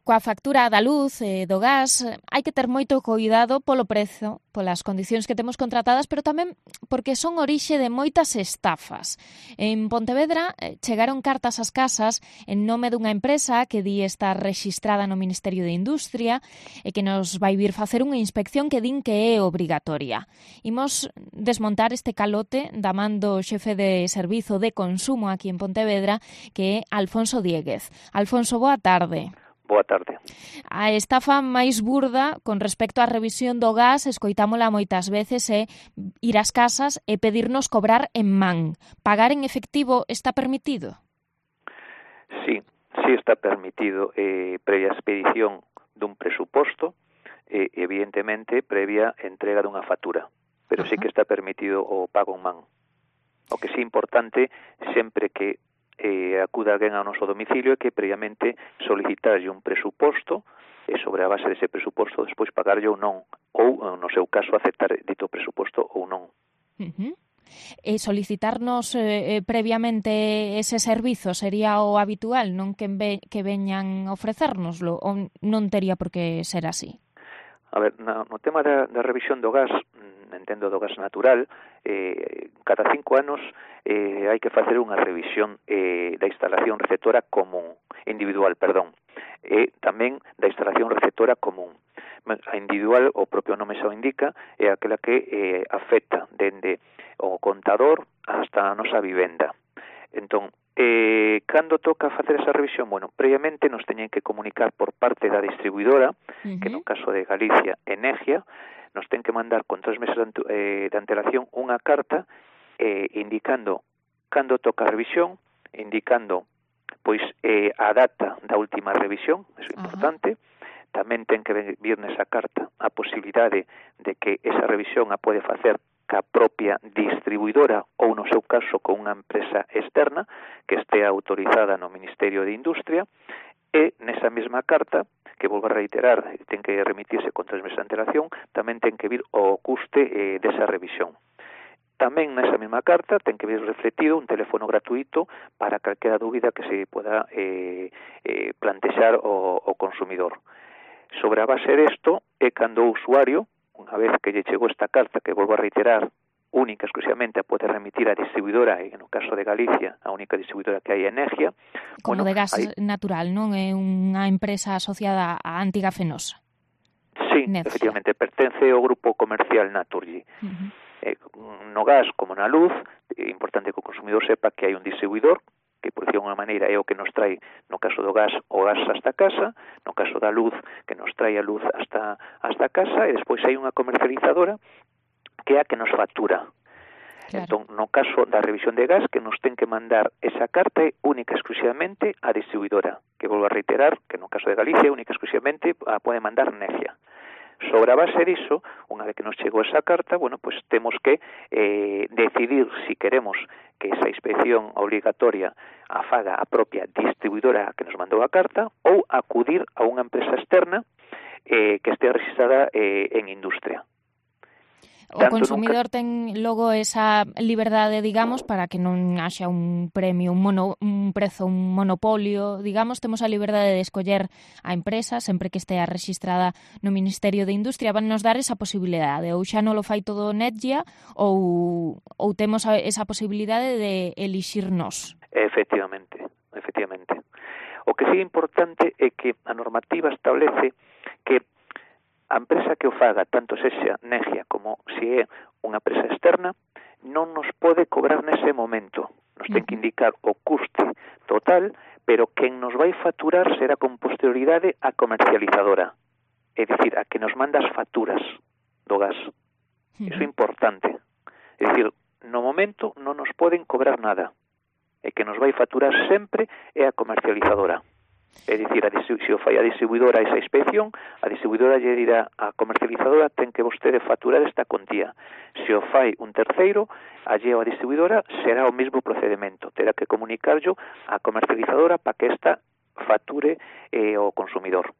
Coa factura da luz e do gas hai que ter moito cuidado polo prezo, polas condicións que temos contratadas, pero tamén porque son orixe de moitas estafas. En Pontevedra chegaron cartas ás casas en nome dunha empresa que di estar rexistrada no Ministerio de Industria e que nos vai vir facer unha inspección que din que é obrigatoria. Imos desmontar este calote da man do xefe de servizo de consumo aquí en Pontevedra, que é Alfonso Dieguez. Alfonso, boa tarde. Boa tarde. A estafa máis burda con respecto á revisión do gas, escoitámola moitas veces, é ir ás casas e pedirnos cobrar en man. Pagar en efectivo está permitido? Sí está permitido, previa expedición dun presuposto, evidentemente previa entrega dunha factura, pero sí que está permitido o pago en man. O que sí é importante, sempre que acuda alguén ao noso domicilio, é que previamente solicitarlle un presuposto e sobre a base dese presuposto despois pagarlle ou non, ou no seu caso aceptar dito presuposto ou non. E solicitarnos previamente ese servizo sería o habitual, non que veñan a ofrecérnoslo, ou non tería por que ser así? A ver, no tema da revisión do gas, entendo do gas natural, cada 5 anos hai que facer unha revisión da instalación receptora individual, e tamén da instalación receptora común. A individual, o propio nome xa o indica, é aquela que afecta dende o contador hasta a nosa vivenda. Entón, cando toca facer esa revisión? Bueno, previamente nos teñen que comunicar por parte da distribuidora, que no caso de Galicia, Energia, nos ten que mandar con 3 meses de antelación unha carta indicando cando toca a revisión, indicando pois a data da última revisión, eso é importante. Tamén ten que vir nesa carta a posibilidade de que esa revisión a pode facer ca propia distribuidora ou, no seu caso, con unha empresa externa que este autorizada no Ministerio de Industria, e nesa mesma carta, que volvo a reiterar, ten que remitirse con 3 meses de antelación, tamén ten que vir o custe desa revisión. Tamén nesa mesma carta ten que vir refletido un teléfono gratuito para calquera dúbida que se poda plantexar o consumidor. Sobre a base desto, é cando o usuario, unha vez que lle chegou esta carta, que volvo a reiterar, única exclusivamente a poder remitir a distribuidora, e no caso de Galicia, a única distribuidora que hai é Energia. Como de gas natural, non? É unha empresa asociada á antiga Fenosa. Sí, efectivamente, pertence ao grupo comercial Naturgy. No gas como na luz, é importante que o consumidor sepa que hai un distribuidor, que por decir unha maneira é o que nos trae, no caso do gas, o gas hasta casa, no caso da luz, que nos trae a luz hasta casa, e despois hai unha comercializadora que é a que nos factura. Claro. Entón, no caso da revisión de gas, que nos ten que mandar esa carta é única exclusivamente a distribuidora, que volvo a reiterar, que no caso de Galicia, única exclusivamente a pode mandar Necia. Sobre a base diso, unha vez que nos chegou esa carta, bueno, pues temos que decidir si queremos que esa inspección obligatoria a faga a propia distribuidora que nos mandou a carta ou acudir a unha empresa externa que este registrada en industria. O consumidor ten logo esa liberdade, digamos, para que non haxa un premio, un prezo, un monopolio, digamos, temos a liberdade de escoller a empresa, sempre que estea registrada no Ministerio de Industria, van nos dar esa posibilidade, ou xa non lo fai todo Netgia, ou temos esa posibilidade de elixirnos. Efectivamente. O que sí é importante é que a normativa establece que a empresa que o faga, tanto sexa Negia como se é unha empresa externa, non nos pode cobrar nese momento. Nos ten que indicar o custe total, pero quen nos vai facturar será con posterioridade a comercializadora. É dicir, a que nos manda as facturas do gas. Iso é importante. É dicir, no momento non nos poden cobrar nada. E que nos vai facturar sempre é a comercializadora. É dicir, se o fai a distribuidora esa inspección, a distribuidora lle dirá a comercializadora ten que vostede facturar esta contía. Se o fai un terceiro, alleo a distribuidora será o mesmo procedimento. Terá que comunicarlo a comercializadora para que esta facture o consumidor.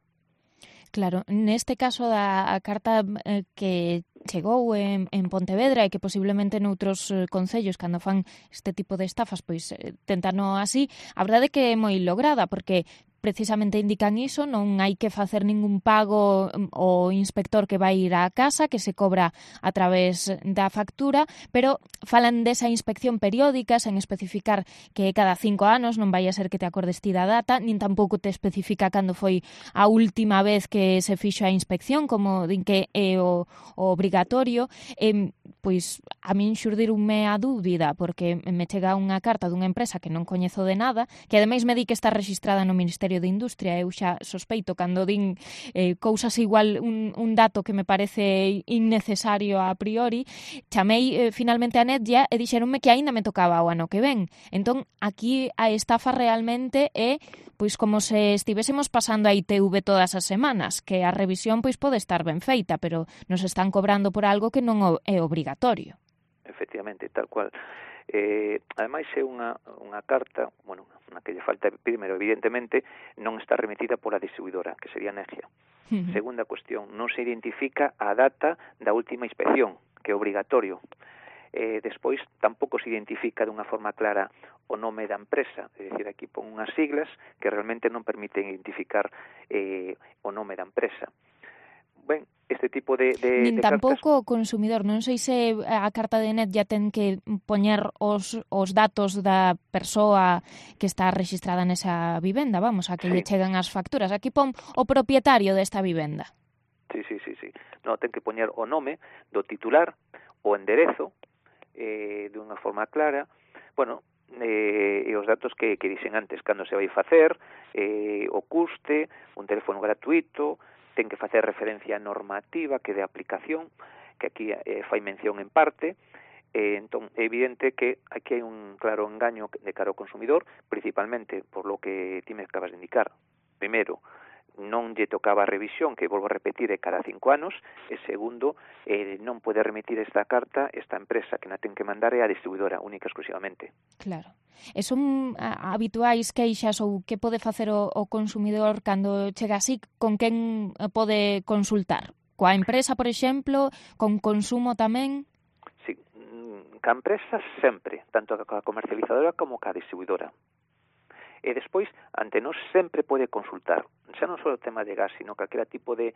Claro, neste caso da carta que chegou en Pontevedra e que posiblemente noutros concellos cando fan este tipo de estafas pois tentano así, a verdade é que é moi lograda porque precisamente indican iso, non hai que facer ningún pago ao inspector que vai ir á casa, que se cobra a través da factura, pero falan desa inspección periódica, sen especificar que cada 5 anos, non vai a ser que te acordes ti da data, nin tampouco te especifica cando foi a última vez que se fixo a inspección, como din que é o obrigatorio. Pois a min xurdirunme a dúbida, porque me chega unha carta dunha empresa que non coñezo de nada, que ademais me di que está rexistrada no Ministerio de Industria. Eu xa sospeito cando din cousas igual un dato que me parece innecesario a priori. Chamei finalmente a Netlla e dixeronme que aínda me tocaba o ano que ven. Entón, aquí a estafa realmente é pois como se estivésemos pasando a ITV todas as semanas, que a revisión pois pode estar ben feita, pero nos están cobrando por algo que non é obrigatorio. Efectivamente, tal cual. Ademais é unha carta, bueno, na que lle falta, primeiro, evidentemente, non está remitida pola distribuidora, que sería Netlla. Segunda cuestión, non se identifica a data da última inspección, que é obrigatorio. Despois, tampouco se identifica dunha forma clara o nome da empresa, é dicir, aquí pon unhas siglas que realmente non permiten identificar o nome da empresa. Ben, este tipo de nin tampouco o consumidor. Non sei se a carta de Netlla ten que poñer os datos da persoa que está registrada nesa vivenda, vamos, a que lle chegan as facturas. Aquí pon o propietario desta vivenda. Sí. No, ten que poñer o nome do titular, o enderezo, de unha forma clara, bueno, e os datos que dixen antes, cando se vai facer, o custe, un teléfono gratuito, ten que facer referencia normativa que de aplicación, que aquí fai mención en parte. Entón, é evidente que aquí hai un claro engaño de cara ao consumidor, principalmente por lo que ti me acabas de indicar. Primeiro, non lle tocaba a revisión, que volvo a repetir, é cada 5 anos, e segundo, non pode remitir esta carta esta empresa, que na ten que mandar é a distribuidora, única exclusivamente. Claro. E son habituais queixas ou que pode facer o consumidor cando chega así, con quen pode consultar? Coa empresa, por exemplo, con consumo tamén? Sí, ca empresa sempre, tanto coa comercializadora como ca distribuidora. E despois, ante nós sempre pode consultar, xa non só o tema de gas, sino calquera tipo de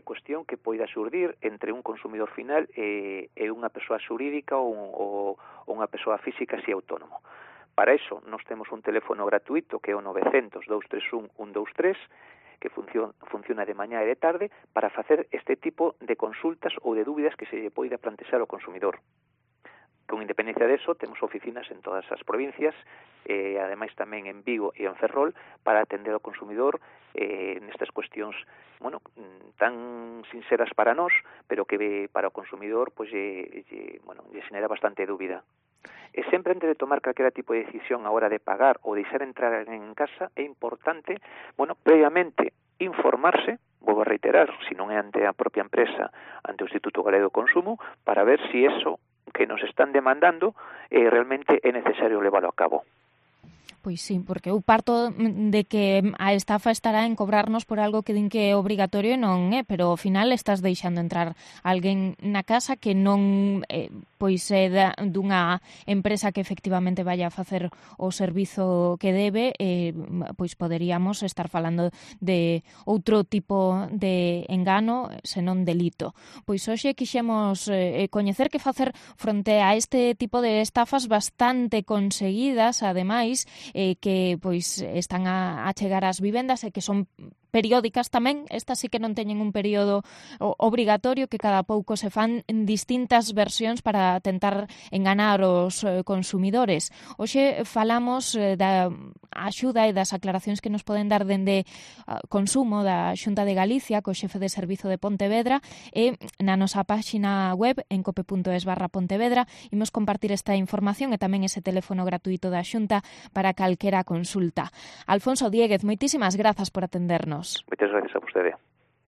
cuestión que poida xurdir entre un consumidor final e unha persoa xurídica ou unha persoa física si autónomo. Para iso, nós temos un teléfono gratuito que é o 900-231-123, que funciona de mañá e de tarde para facer este tipo de consultas ou de dúbidas que se lle poida plantexar ao consumidor. Con independencia deso, temos oficinas en todas as provincias, ademais tamén en Vigo e en Ferrol, para atender ao consumidor nestas cuestións, bueno, tan sinceras para nós, pero que para o consumidor pois lle xenera bastante dúbida. E sempre antes de tomar calquera tipo de decisión a hora de pagar ou deixar entrar en casa, é importante, bueno, previamente informarse, vou a reiterar, se non é ante a propia empresa, ante o Instituto Galego do Consumo, para ver se eso que nos están demandando realmente é necesario leválo a cabo. Pois sí, porque eu parto de que a estafa estará en cobrarnos por algo que din que é obrigatorio e non é, pero ao final estás deixando entrar alguén na casa que non pois é dunha empresa que efectivamente vaya a facer o servizo que debe, pois poderíamos estar falando de outro tipo de engano, senón delito. Pois hoxe quixemos coñecer que facer fronte a este tipo de estafas bastante conseguidas, ademais, que pois están a chegar ás vivendas e que son periódicas tamén. Estas sí que non teñen un período obrigatorio, que cada pouco se fan en distintas versións para tentar enganar os consumidores. Hoxe falamos da axuda e das aclaracións que nos poden dar dende Consumo da Xunta de Galicia, co xefe de servizo de Pontevedra, e na nosa páxina web en cope.es/Pontevedra imos compartir esta información e tamén ese teléfono gratuito da Xunta para calquera consulta. Alfonso Diéguez, moitísimas grazas por atendernos. Moitas gracias a vostede.